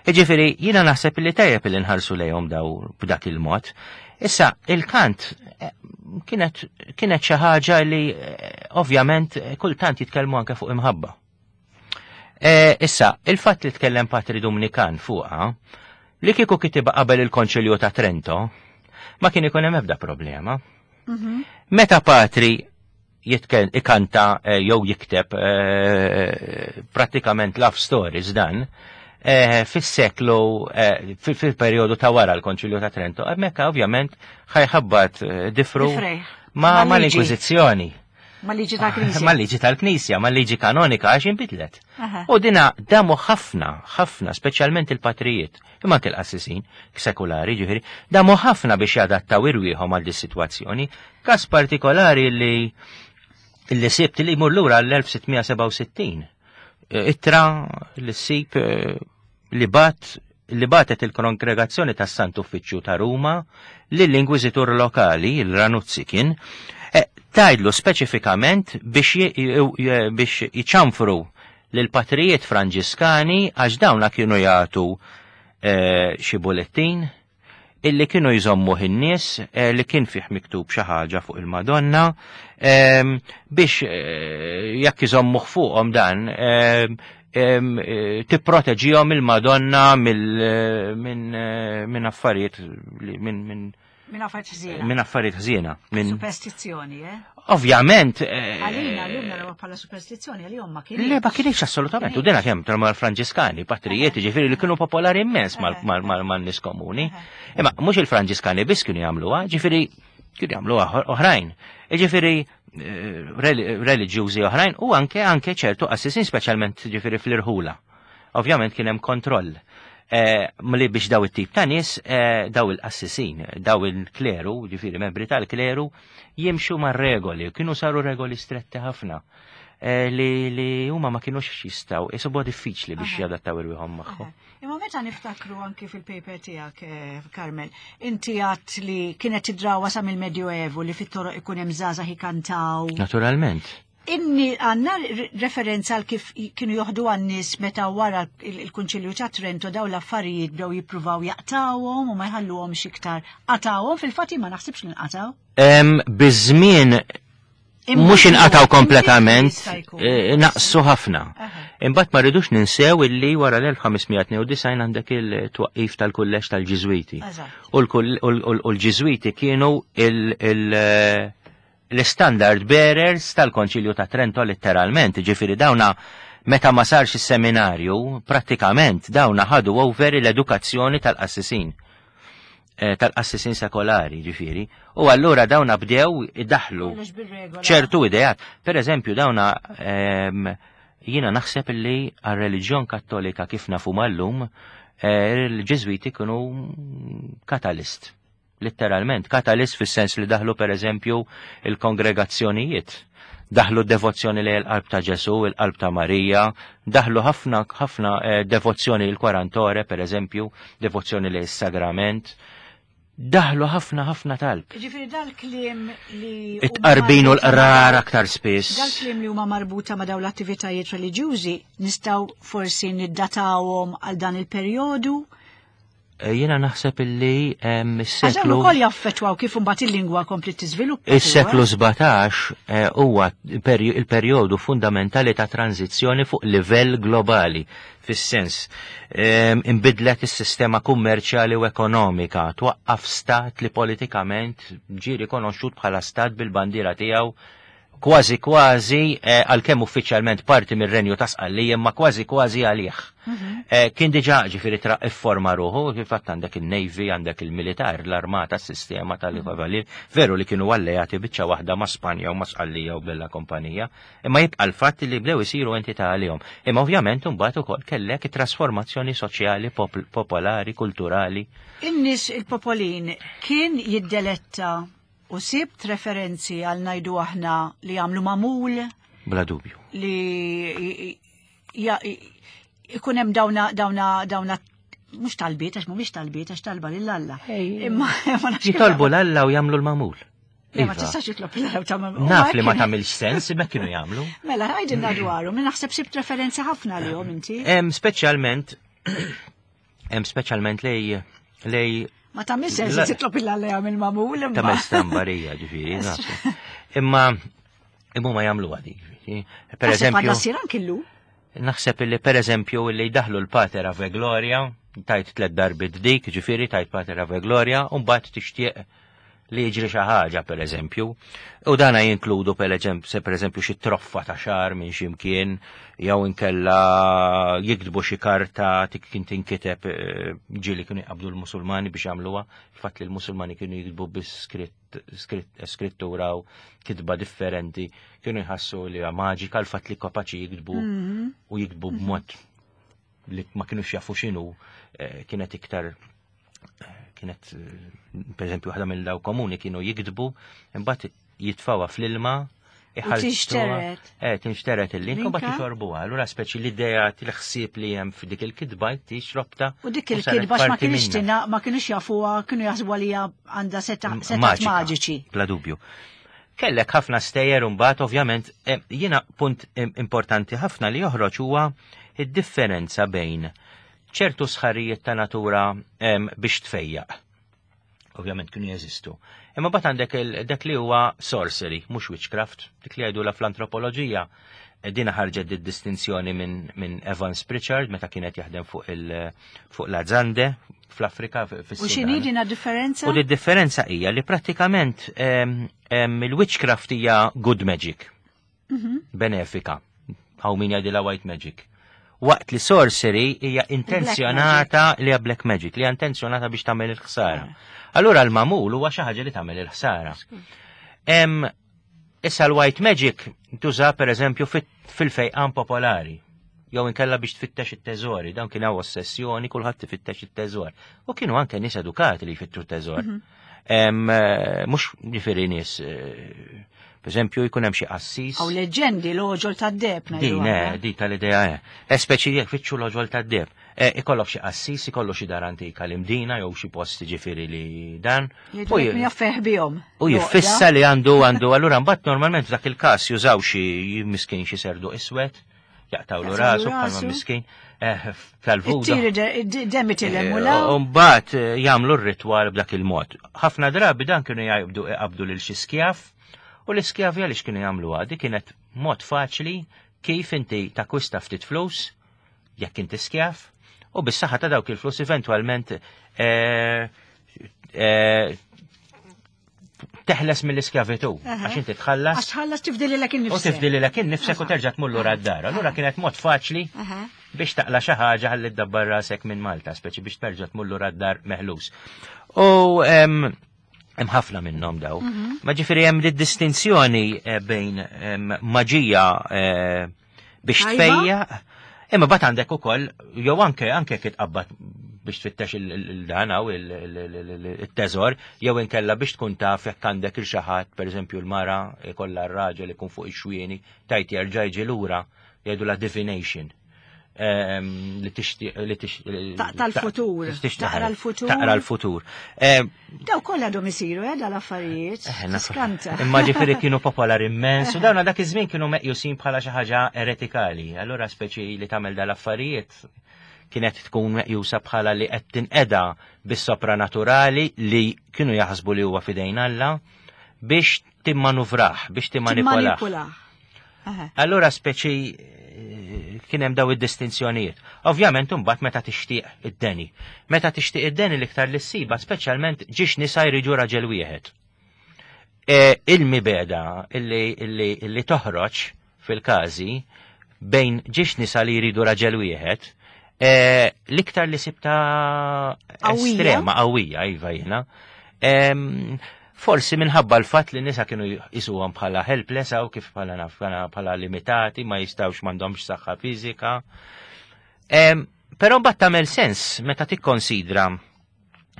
Jiġifieri jiena naħseb li tajjeb li nħarsu lejhom daw b'dak il-mod. Issa, il-kant kienet kienet xi ħaġa li ovvjament kultant jitkellmu anke fuq imħabba. E, issa, il-fatt li tkellem Patri Dumnikan fuqha, li kieku kitibha qabel il-Konċilju ta' Trento, ma kien ikun hemm ebda problema. Meta Patri jitkel ikanta jew jikteb prattikament love stories dan, fis-seklu, fil-perjodu ta' wara l-Konċilju ta' Trento, hemmhekk ovvjament ħajħabbat difru ma' l-Inkwiżizzjoni. Ma' liġi tal-Knisja. Ma' liġi tal-Knisja, ma' liġi kanonika għax inbidlet. U dina damu ħafna, ħafna, speċjalment il-patrijiet, imma anke l-qassisin sekulari ġifieri, damu ħafna biex jadattaw irwieħhom għal dis-sitwazzjoni. Każ partikolari li li sibt li jmur lura l-elf sitt mija sebgħa u sittin. Ittra li ssib li bat li batet il-kongregazzjoni tas-Sant Uffiċċju ta' Ruma lill-inkwiżitur lokali, il-Ranuzzi kien, tajdlu speċifikament biex biex jiċanfru lil patrijiet Franġiskani għax dawna kienu jagħtu xi bulettin illi kienu jżommu in-nies li kien fih miktub xi ħaġa fuq il-Madonna biex jekk iżommuh fuqhom dan tipproteġihom il-Madonna minn affarijiet minn minn Minn affarijiet ħżiena. Minn affarijiet ħżiena. Minn superstizzjoni, eh? Ovvjament. Għalina llum naraw bħala superstizzjoni, għalihom ma kienx. Le, ma kienx assolutament. U dina kemm mal-Franġiskani, patrijiet, ġifieri li kienu popolari immens mal-nies komuni. Imma mhux il-Franġiskani biss kienu jagħmluha, ġifieri kienu jagħmluha oħrajn. Ġifieri reliġjużi oħrajn u anke anke ċertu qassisin speċjalment ġifieri fl-irħula. Ovvjament kien hemm kontroll. Li biex daw it-tip ta' nies, daw il-qassisin, daw il-kleru, ġifieri membri tal-kleru, jimxu mar-regoli, kienu saru regoli stretti ħafna, li li huma ma kienux jistgħu, isibuha diffiċli biex jadattaw irwieħhom magħhom. Imma meta niftakru anki fil-paper tiegħek, Carmel, inti għadt li kienet tidrawa sa mill-Medjoevu li fit-toroq ikun hemm żgħażagħ ikantaw. Naturalment. Inni għanna referenza għal kif kienu joħdu għan-nies meta wara il-Kunċilju ta' Trento daw l-affarijiet bdew jippruvaw jaqtawhom u ma jħalluhomx iktar. Qatawhom fil-fatt ma naħsibx li nqataw. Biż-żmien mhux inqataw kompletament, naqsu ħafna. Imbagħad ma rridux ninsew illi wara l-elf ħames mija tnejn u disgħin għandek il-twaqqif tal-kulleġġ tal-Ġiżwiti. Eżatt. U l-kull- u l- u l-Ġiżwiti kienu il- il- l-standard bearers tal-Konċilju ta' Trento letteralment, ġifieri dawna meta ma sarx is-seminarju, prattikament dawna ħadu over l-edukazzjoni tal-qassisin. Eh, tal-qassisin sekolari, ġifieri. U allura dawna bdew idaħlu Kollox bir-regola. ċertu ideat. Per eżempju, dawna em, jiena naħseb li għal-reliġjon kattolika kif nafu mal-lum, eh, il-Ġiżwiti kienu catalyst. Letteralment, catalyst fis-sens li daħlu per eżempju il-kongregazzjonijiet. Daħlu devozzjoni li l-qalb ta' Ġesu, il-qalb ta' Marija, daħlu ħafna ħafna eh, devozzjoni l-Quarantore, per eżempju, devozzjoni li s-sagrament, daħlu ħafna ħafna talb. Ġifieri dal-kliem li huma It-qarbin u marbuta ma' l-qrar aktar spiss. Dal-kliem li huma marbuta ma' dawn l-attivitajiet reliġjużi nistgħu forsi niddatawhom għal dan il-perjodu. Eh, Jiena naħseb illi em, Għax dawn is-seklu ukoll jaffettwaw kif imbagħad il-lingwa kompli tiżviluppa. Is-seklu sbatax eh, huwa peri- il-perjodu fundamentali ta' tranzizzjoni fuq livell globali, fis-sens em, imbidlet is-sistema kummerċjali u ekonomika, twaqqaf stat li politikament ġie rikonoxxut bħala stat bil-bandiera tiegħu kważi kważi eh, għalkemm uffiċjalment parti mir-Renju ta' Sqallija, imma kważi kważi għalih. Eh, Kien diġà ġifieri tra ifforma ruħu, kif għandek il-Navy, għandek il-militar, l-armata, s-sistema tal-kavalier, veru li kienu alleati biċċa waħda ma' Spanja u ma' Sqallija u bella kompanija, imma jibqa' l-fatt li bdew isiru entità għalihom. Imma ovvjament imbagħad ukoll kellek trasformazzjoni soċjali, pop- popolari, kulturali. In-nies, il-popolin kien jiddeletta u sibt referenzi għal, ngħidu aħna, li jagħmlu mamul Bla dubju. li ja- ikun hemm dawna dawna dawna mhux talbiet, għax mhumiex talbiet, għax talba lil Alla. Imma ma nafx kif- Jitolbu l-Alla u jagħmlu l-mamul. Le, ma Iva. tistax jitlob l-Alla u tagħmel. Naf li ma tagħmilx sens, imma kienu jagħmlu. Mela, għidilna dwaru, min naħseb sibt referenza ħafna li inti. Hemm speċjalment hemm speċjalment lej lej Ma tagħmel sens La- li titlob il-Alla jagħmel mamul imma. ta' stambarija ġifieri, nafu. Imma imma ma jagħmlu għadi, ġifieri. Per Naħseb eżempju, għadha ssir anki llum. Naħseb li per eżempju li jdaħlu l-Pater Ave Gloria, tajt tlet darbit dik, ġifieri tajt Pater Ave Gloria, u mbagħad tixtieq li jiġri xi ħaġa per eżempju. U dana jinkludu per eżempju, se per eżempju xi troffa ta' xar minn xi mkien, jew inkella jiktbu xi karta tik kien tinkiteb, eh, ġieli kienu jqabdu l-Musulmani biex jagħmluha, il-fatt li l-Musulmani kienu jiktbu bi skritt skrittura u kitba differenti, kienu jħassu li hija maġika l-fatt li kapaċi jiktbu u jiktbu b'mod li ma kienux jafu x'inhu, eh, kienet iktar eh, kienet eh, per eżempju waħda mill daw komuni kienu jiktbu, imbagħad jitfawha fl-ilma, iħallsuha- Tinxtered. Eh, tinxteret il-link, u mbagħad Linka? jixorbuha. Allura speċi l-idea tal-ħsieb li hemm f'dik il-kitba tixrobta. U dik u saret il-kitba ma parti kienx minnha. tina, ma kienux jafuha, kienu jaħsbu li għandha seta' setat Maġika, maġiċi. Bla dubju. Kellek ħafna stejjer mbagħad ovvjament eh, jiena punt im- importanti ħafna li joħroġ huwa id-differenza bejn ċertu sħarijiet ta' natura em, biex tfejjaq. Ovvjament kienu jeżistu. Imma bat għandek il- dak li huwa sorcery, mhux witchcraft, dik li jgħidula fl-antropoloġija. Eh, Dina ħarġet di distinzjoni minn min Evans Pritchard meta kienet jaħdem fuq il fuq l-Azande fl-Afrika U x'inhi fis-Sudan. dina differenza? U di differenza hija li prattikament em, em, il-witchcraft hija good magic. Benefika. Hawn min jgħidilha white magic. Waqt li sorcery hija intenzjonata li hija black magic, li hija intenzjonata biex tagħmel il-ħsara. Allura l-mamul huwa xi ħaġa li tagħmel il-ħsara. Em, Issa l-white magic tuża per eżempju fit- fil-fejqan popolari. Jew inkella biex tfittex it-teżori, dawn kien hawn ossessjoni, kulħadd tifittex it-teżor. U kienu anke nies edukati li jfittxu t-teżor. Em, eh, Mhux ġifieri nies, eh, per eżempju jkun hemm xi qassis. Aw leġendi l-għoġol tad-deheb ngħidu Din, eh, aħna. di tal-idea, eh. E speċi jekk fitxu l-għoġol tad-deheb. Eh, ikollok xi qassis, ikollu xi dar antika l-Imdina jew xi posti ġifieri li dan. Jgħidu U lek j- min jaffeħ bihom. U jiffissa li għandu għandu, allura mbagħad normalment f'dak il-każ jużaw xi miskin xi serdu iswed, jaqtawlu Jaqtawlu rasu bħalma rasu. miskin, eh, tal-vuda. It-tiri demmi tilem u Eh, law. U mbagħad eh, jagħmlu r-ritwal b'dak il-mod. Ħafna drabi dan kienu jgħabdu iqabdu lil xi skjaf u l-iskjavi għaliex kienu jagħmlu għadi kienet mod faċli kif inti takwista ftit flus, jekk inti skjaf, u bis-saħħa ta' dawk il-flus eventwalment eh, eh, teħles mill-iskjavitu, għax inti tħallas. Għax tħallas tifdililek innifsek. U tifdililek innifsek u terġa' tmur lura d-dar. Allura kienet mod faċli biex taqla xi ħaġa ħalli ddabbar rasek minn Malta, speċi biex terġa' tmur lura d-dar meħlus. U hemm ħafna minnhom daw. Mhm. Ma ġifieri hemm distinzjoni eh, bejn maġija eh, biex tfejja, imma bat għandek ukoll jew anke anke kitqabbad biex tfittex il-dan u il-teżor, jew inkella biex tkun taf jekk għandek il xi ħadd, pereżempju l-mara ikollha r-raġel ikun fuq ix-xwieni, tajt jerġa' jiġi lura jgħidu la divination. Li tixtieq li tixtieq Taqta' l-futur. Taqra l-futur. Taqra l-futur. Daw kollha għadhom isiru eh dal-affarijiet. Skanta. Imma ġifieri kienu popolari immens u dawna dak iż-żmien kienu meqjusin bħala xi ħaġa eretikali. Allura speċi li tagħmel dal-affarijiet kienet tkun meqjusa bħala li qed tinqeda bis-sopranaturali li kienu jaħsbu li huwa fidejn Alla biex timmanuvrah, biex timmanipulah. Allura speċi kien hemm daw id-distinzjonijiet. Ovvjament imbagħad meta tixtieq id-deni. Meta tixtieq id-deni l-iktar li ssiba speċjalment ġiex nisa jridu raġel wieħed. E, il-mibeda illi, illi, illi toħroġ fil-każi bejn ġiex nisa li jridu raġel wieħed, e, l-iktar li sibta estrema, qawwija, iva jiena. Forsi minħabba l-fatt li nisa kienu jisuhom bħala helpless u kif bħala naf bħala limitati, ma jistgħux m'għandhomx saħħa fiżika. Però mbagħad tagħmel sens meta tikkonsidra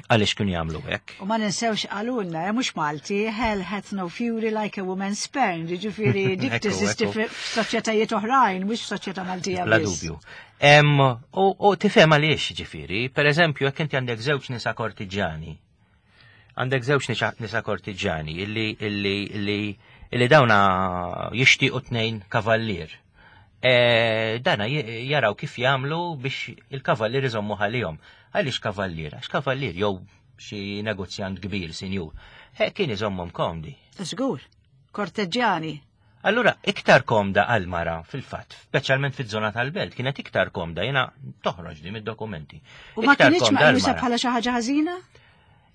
għaliex kienu jagħmlu hekk. U ma ninsewx qalulna, eh, mhux Malti, hell hath no fury like a woman spurned, jiġifieri dik teżisti f'soċjetajiet oħrajn, mhux f'soċjetà Maltija. Bla dubju. U tifhem għaliex ġifieri, pereżempju jekk inti għandek żewġ nisa kortiġani, għandek żewġ nisa kortiġani illi illi illi illi dawna jixtiequ tnejn kavallier. E, dana jaraw kif jagħmlu biex il-kavallier iżommu ħalihom. Għaliex kavallier? Għax kavallier jew xi negozjant kbir, sinjur. He kien iżommhom komdi. Żgur, korteġġjani. Allura, iktar komda għal-mara fil-fatt, speċjalment fiż-żona tal-belt, kienet iktar komda, jiena toħroġ di mid-dokumenti. U ma kienx meqjusa bħala xi ħaġa ħażina?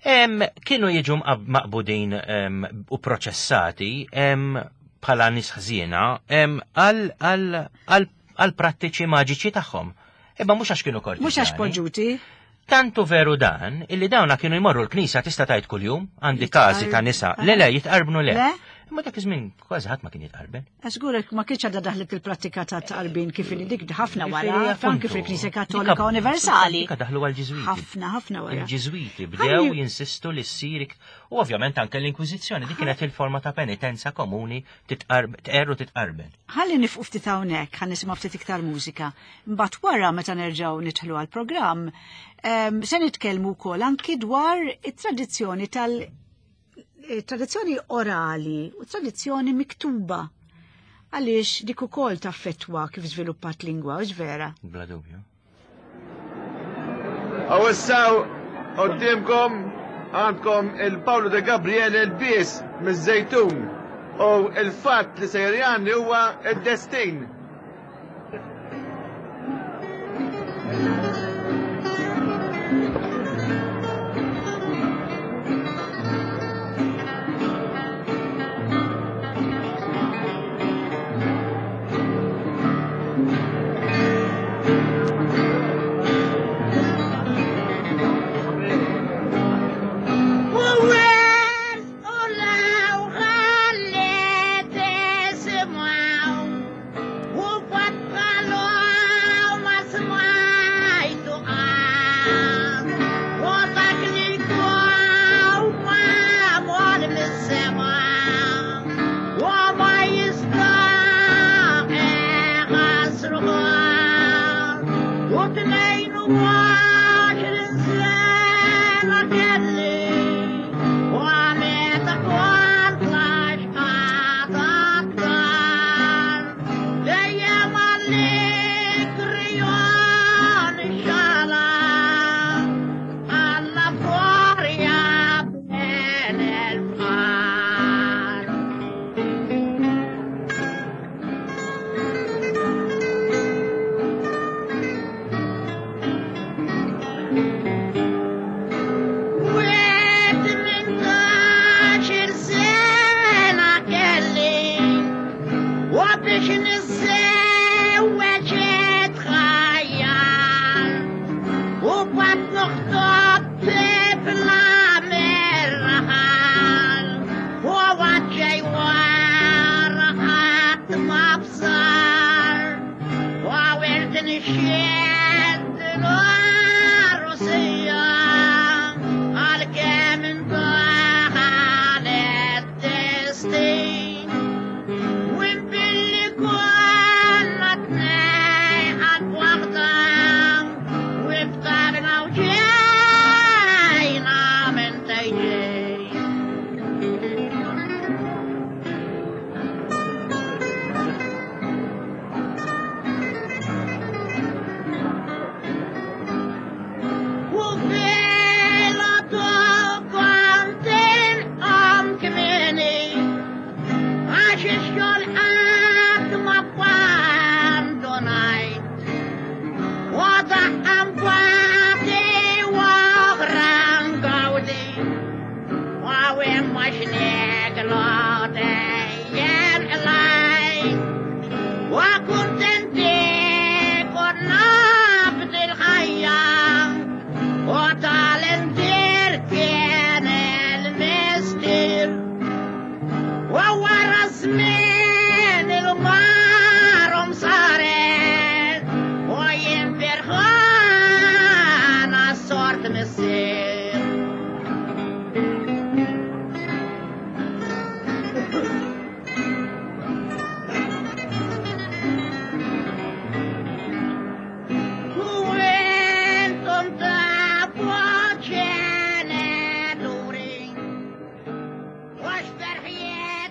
Em, kienu jiġu maqbudin u proċessati bħala nies ħżiena għal prattiċi maġiċi tagħhom. Imma mhux għax kienu kortiġani. Mhux għax poġġuti. Tantu veru dan, illi dawna kienu jmorru l-knisa tista' tgħid kuljum, għandi każi ta' nisa. Le le, jitqarbnu le. Imma dak iż-żmien kważi ħadd ma kien jitqarben. Żgurek ma kienx għadha daħlet il-prattika ta' tqarbin kif inhi dik ħafna wara, anke fil-Knisja Kattolika Universali. Dika daħlu għall-Ġiżwiti. Ħafna ħafna wara. Il-Ġiżwiti bdew jinsistu li ssir u ovvjament anke l-Inkwiżizzjoni dik kienet il-forma ta' penitenza komuni tqerru titqarben. Ħalli nifqu ftit hawnhekk, ħa nisimgħu ftit iktar mużika. Mbagħad wara meta nerġgħu nidħlu għall-programm, se nitkellmu wkoll anki dwar it-tradizzjoni tal- tradizzjoni orali u tradizzjoni miktuba. Għaliex dik ukoll taffettwa kif żviluppat lingwa, u vera? Bla dubju. Aw issaw quddiemkom għandkom il-Paolo de Gabriele l-Bies miż-Żejtun u il-fatt li sejjer jgħanni huwa id-destin.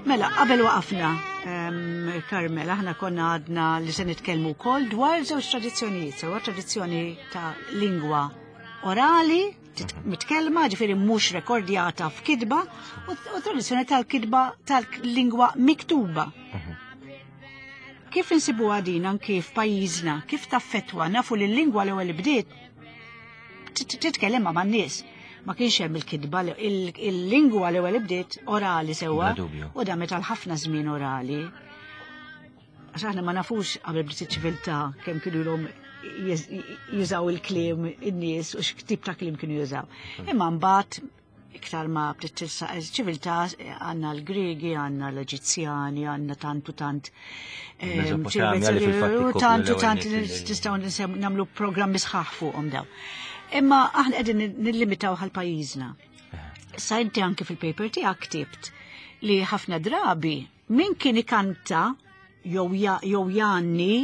Mela, qabel waqafna, Carmel, aħna konna għadna li se nitkellmu wkoll dwar żewġ tradizzjonijiet, sewa tradizzjoni ta' lingwa orali, mitkellma, ġifieri mhux rekordjata f'kitba, u tradizzjoni tal-kitba tal-lingwa miktuba. Kif insibuha din anki f'pajjiżna, kif taffettwa, nafu li l-lingwa l-ewwel bdiet titkellem ma' man-nies. Ma kienx hemm il-kitba, il-lingwa l-ewwel bdiet orali sewwa, u damet għal ħafna żmien orali. Għax aħna ma nafux qabel bdiet iċ-ċiviltà kemm kienu ilhom jużaw il-kliem in-nies u x'tip ta' kliem kienu jużaw. Imma mbagħad iktar ma bdiet tilsaq iċ-ċiviltà għandna l-Griegi, għandna l-Eġizzjani, għandna tant u tant tant u tant nistgħu nagħmlu programmi sħaħ fuqhom daw. Imma aħna qegħdin nillimitaw għal pajjiżna. Sa inti anke fil-paper tiegħek ktibt li ħafna drabi min kien ikanta jew jgħanni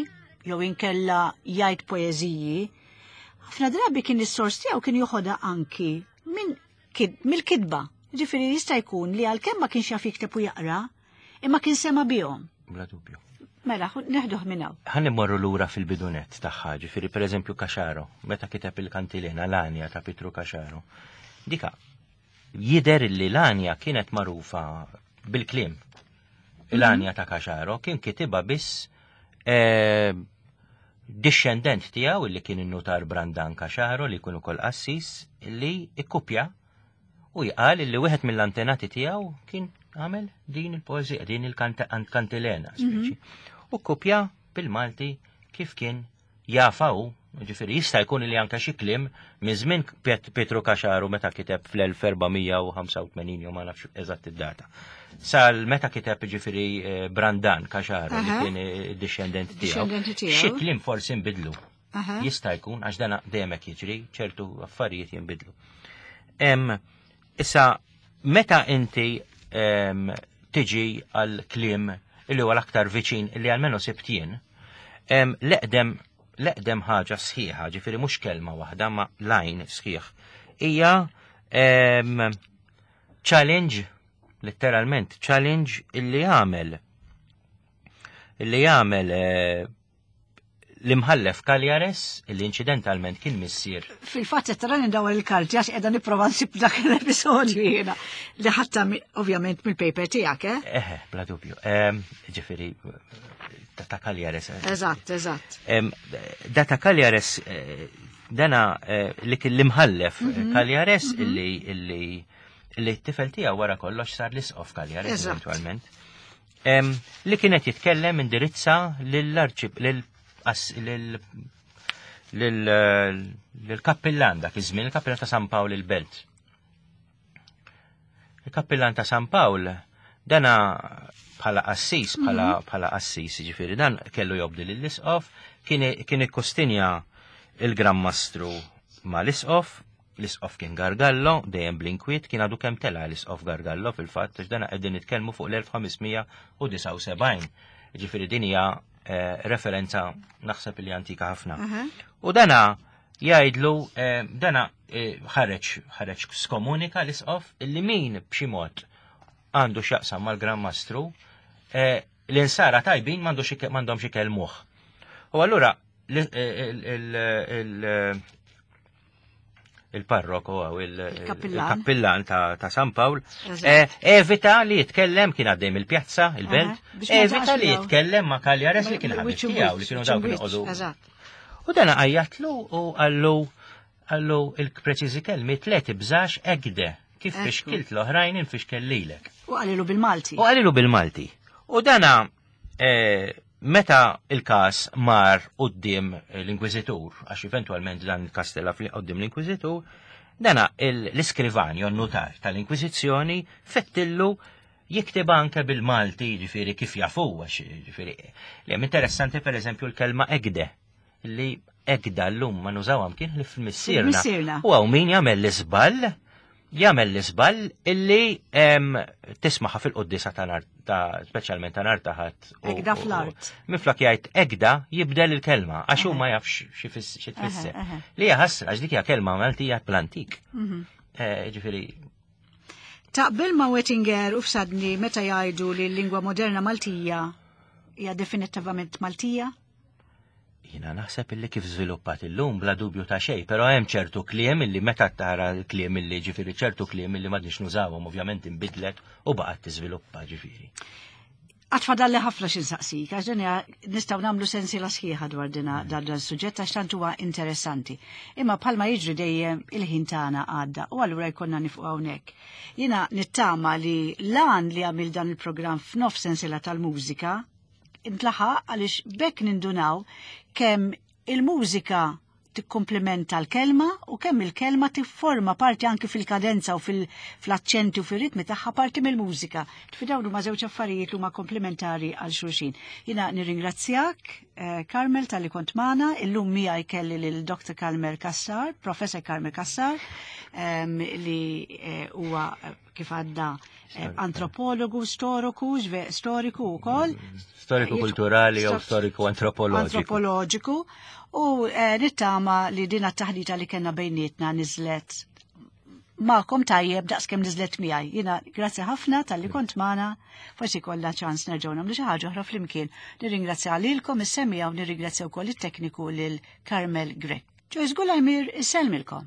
jew inkella jgħid poeżiji, ħafna drabi kien is-sors tiegħu kien joħodha anki minn mill-kitba. Ġifieri jista' jkun li għalkemm ma kienx jaf jikteb u jaqra, imma kien sema bihom. Bla dubju. Mela, neħduh minn hawn. Ħa nimmorru lura fil-bidunet tagħha, ġifieri pereżempju Caxaro, meta kiteb il-kantilena l-Anja ta' Pietru Caxaro. Dika jidher li l-Anja kienet magħrufa bil-kliem. L-Anja ta' Caxaro kien kitibha biss dixxendent tiegħu li kien in-nutar Brandan Caxaro li jkun ukoll qassis li ikkupja u jqal li wieħed mill-antenati tiegħu kien għamel din il-poeżija, din il-kantilena speċi. U kopja bil-Malti kif kien jafaw, ġifieri jista' jkun li anke xi kliem minn żmien Pietru Caxaro meta kiteb fl-elf erba' mija u ħamsa u tmenin jew ma nafx eżatt id-data. Sal meta kiteb ġifieri Brandan Caxaro li kien id-dixxendent tiegħu. Xi kliem forsi nbidlu. Jista' jkun għax dan dejjem hekk jiġri, ċertu affarijiet jinbidlu. Issa meta inti tiġi għal kliem illi huwa l-aktar viċin illi għalmenu sibtien, l-eqdem l-eqdem ħaġa sħiħa, ġifieri mhux kelma waħda ma lajn sħiħ, hija challenge, letteralment challenge illi jagħmel illi jagħmel l-imħallef Cagliares, illi incidentalment kien missier. Fil-fatt qed tara ndawar il-karti għax qiegħda nipprova nsib dak l-episodju jiena li ħatta ovvjament mill-paper tiegħek, eh? Eħe, bla dubju. Ġifieri ta' Cagliares. Eżatt, eżatt. Da ta' Cagliares, dana li kien l-imħallef Cagliares illi illi illi t-tifel tiegħu wara kollox sar l-isqof Cagliares eventualment. Li kienet jitkellem indirizza lill-arċib lil lill-kappillan dak iż-żmien, il-kappillan ta' San Pawl il-Belt. Il-kappillan ta' San Pawl dana bħala qassis, bħala bħala qassis, ġifieri dan kellu jobdi lill-isqof, kien kien ikkustinja il-Gran Mastru ma l-isqof, l-isqof kien Gargallo, dejjem bl-inkwiet, kien għadu kemm tela l-isqof Gargallo fil-fatt, għax dana qegħdin nitkellmu fuq l-elf ħames mija u disgħa u sebgħin. Ġifieri din hija eh, referenza naħseb li antika ħafna. U dana jgħidlu, eh, dana eh, ħareġ ħareġ skomunika l-isqof illi min b'xi mod għandu x'jaqsam mal-Gran Mastru, eh, l-insara tajbin m'għandux ike- m'għandhomx ikellmuh. U allura l- il- il- il- il-parroku għaw Il-kappillan. il-kappillan ta' ta' San Pawl, Eżatt. eh, evita li jitkellem, kien għaddej mill-pjazza, il-belt, Aha, biex ma evita jiltaqax li miegħu. jitkellem ma' Cagliares li kien ħabib Wiċċ tiegħu, li kienu wiċċ dawk kienu wiċċ, joqogħdu. Eżatt. U dana għajjatlu u għallu għallu il-preċiżi kelmi tlet ibżax egde, kif Ekku. fixkilt l-oħrajn infixkel lilek. U qalilu bil-Malti. U qalilu bil-Malti. U dana eh, meta il-kas mar quddiem l-Inkwiżitur, għax eventualment dan il-kas tela quddiem l-Inkwiżitur, dana il- l-iskrivan jew notar tal-Inkwiżizzjoni fettillu jikteb anke bil-Malti, ġifieri kif jafu, għax ġifieri li hemm interessanti per eżempju l-kelma egde, li egda l-lum ma nużawha kien li fil-missierna. Fil-missierna. U hawn min jagħmel l-iżball, jagħmel l-iżball illi em, tismaħa fil-qoddisa ta' nar ta' speċjalment ta' nar ta' ħadd. u- Egda u- fl-art. Minflok jgħid egda jibdel il-kelma għax hu ma jafx xi fis- xi tfisser. Eħe, eħe. Li hija ħasra għax dik hija kelma Maltija bl-antik. Mhm. Eh, Ġifieri Taqbel ma' Wettinger u Fsadni meta jgħidu li l-lingwa moderna Maltija hija definitivament Maltija? Jina naħseb illi kif żviluppat illum bla dubju ta' xejn, però hemm ċertu kliem illi meta tara l-kliem illi ġifieri ċertu kliem illi m'għadniex nużawhom ovvjament inbidlet u baqgħet tiżviluppa ġifieri. Għad fadalli ħafna xi nsaqsik, għax din hija nistgħu nagħmlu sensiela sħiħa dwar dina dan dan suġġett għax tant huwa interessanti. Imma bħalma jiġri dejjem il-ħin tagħna għadda u allura jkollna nieqfu hawnhekk. Jiena nittama li lan li għamil dan il-programm f'nof sensiela tal-mużika intlaħaq għaliex bekk nindunaw kemm il-mużika tikkomplementa l-kelma u kemm il-kelma tifforma parti anki fil-kadenza u fil-aċċenti u fil-ritmi tagħha parti mill-mużika. Ġifieri dawn huma żewġ affarijiet li huma komplementari għal xulxin. Jiena nirringrazzjak eh, Carmel talli kont magħna, illum miegħi kelli lil Dr. Carmel Cassar, Professor Carmel Cassar, em, li eh, huwa eh, kif għadda eh, antropologu, storiku, ġve- storiku wkoll. Storiku kulturali jew storiku antropoloġiku. Antropoloġiku. U eh, nittama li din it-taħdita li kellna bejnietna niżlet magħkom tajjeb daqs kemm niżlet miegħi. Jiena grazzi ħafna talli kont magħna, forsi kollha ċans nerġgħu nagħmlu xi ħaġa oħra flimkien. Nirringrazzja lilkom is-semmiegħa u nirringrazzja wkoll it-tekniku lil Carmel Grech. Joyce Gulajmir isellmilkom.